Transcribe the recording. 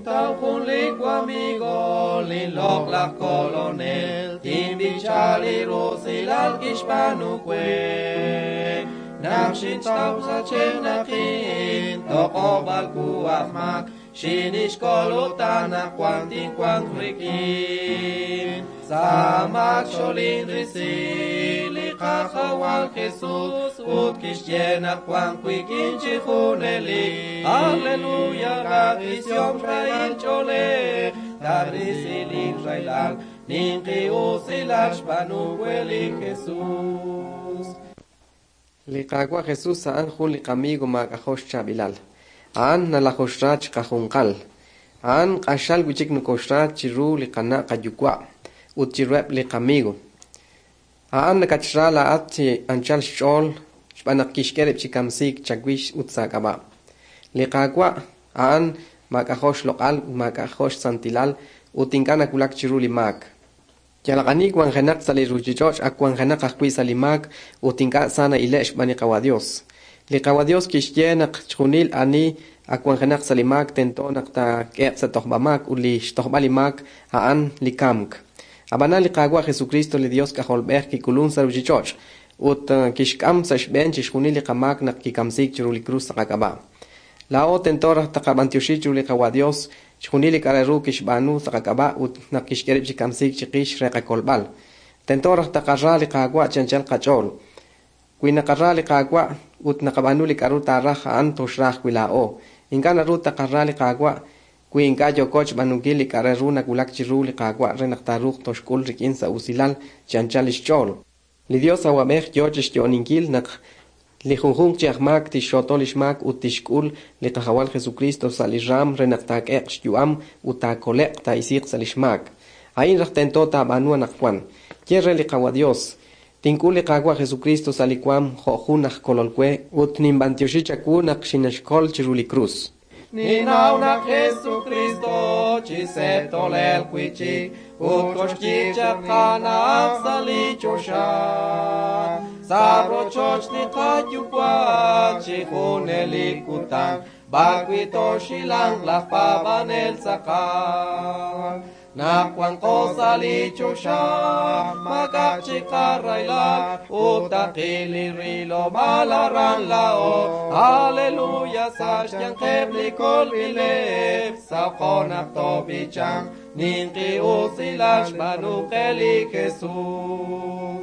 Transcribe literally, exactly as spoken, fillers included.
Xintaw jun li wamigo linloq laj kolonel tinb'icha li rusilal kixb'aanu we naq xintaw sachenaqin toq'ob'al ku aj mak xinixkol ut anaqwan tinwanq rik'in sa' mak xolinrisi li Qajawal Jesús ut kixye naq wanq wik'in chi junelik. Aleluya, rajisiom xrahil ch'oolej tarisi linraylal ninqi usilal xb'aanu we li Jesús. Li Qaawa' Jesús a'an jun li qamigo maak'ajo' xchaab'ilal. A'an nalajoxra chiqajunqal. A'an q'axal wi'chik nokoxra chiru li qana' qayuwa' ut chiruheb' li qamigo. A'an nakatxra laa'at chi anchal xch'ool xb'aan naq kixk'e rib' chi kamsiik chawix ut sa' k'ab'a'. Li Qaawa' a'an maak'ajo' xloq'al ut maak'ajo' xsantilal ut ink'a' nawulak chiru li maak. Yalaq ani wanjenaq sa' li ruchich'och' ak wanjenaq ajwi' sa' li maak ut ink'a' sa na'ile' xb'aan li Qawa' Dios. Li Qawa' Dios kixye naq chjunil ani ak wanjenaq sa' li maak tento naq taak'e'q sa' tojb'amaak ut li xtojb'al li maak a'an li kamk. Ab'anan li Qaawa' Jesucristo li Dios k'ajolb'ej kik'ulun sa' ruchich'och' ut kixk'am sa' xb'een chixjunil li qamaak naq kikamsiik chiru li krus sa' qak'ab'a'. Laa'o tento raj taqab'antioxi chiru li Qawa' Dios chjunil li k'a' re ru kixb'aanu sa' qak'ab'a' ut naq kixk'e rib' chi kamsiik chiqix re qakolb'al. Tento raj taqara li Qaawa' chi anchal qach'ool. Wi naqara li Qaawa' ut naqab'aanu li k'a'ru taaraj a'an toxra ajwi' laa'o. Ink'a' naru taqara li Qaawa' wi ink'a' yooko xb'aanunkil li k'a' re ru nawulak chiru li Qaawa' re naq taaruuq toxk'ul rik'in sa' usilal chi anchal lix ch'ool. Li Dios awab'ej yoo chixyo'oninkil naq li junjunq chi aj maak tixxooto lix maak ut tixk'ul li Qajawal Jesucristo sa' li raam re naq taak'e'q xyu'am ut taakole'q taa'isiiq sa' lix maak. A'in raj tento taab'aanu anaqwan. Ye re li Qawa' Dios, tink'ul li Qaawa' Jesucristo sa' li waam jo' jun aj kolol we ut ninb'antioxi chawu naq xinexkol chiru li krus. Ninnaw naq Jesucristo chi se'tolel wi'chik ut koxyi chaq qana'aj sa' li choxa. Sa' rochoch li qayuwa' chi junelik kutan b'arwi' toxilanq laj paab'anel tz'aqal. Naq wanqo sa' li choxa maak'a' chik qarahilal ut taqil li rilob'aal aran laa'o. Aleluya, sa' xyanqeb' li kolb'ileb' saqo naq toob'ichanq ninqi usilal xb'aanu qe li Jesús.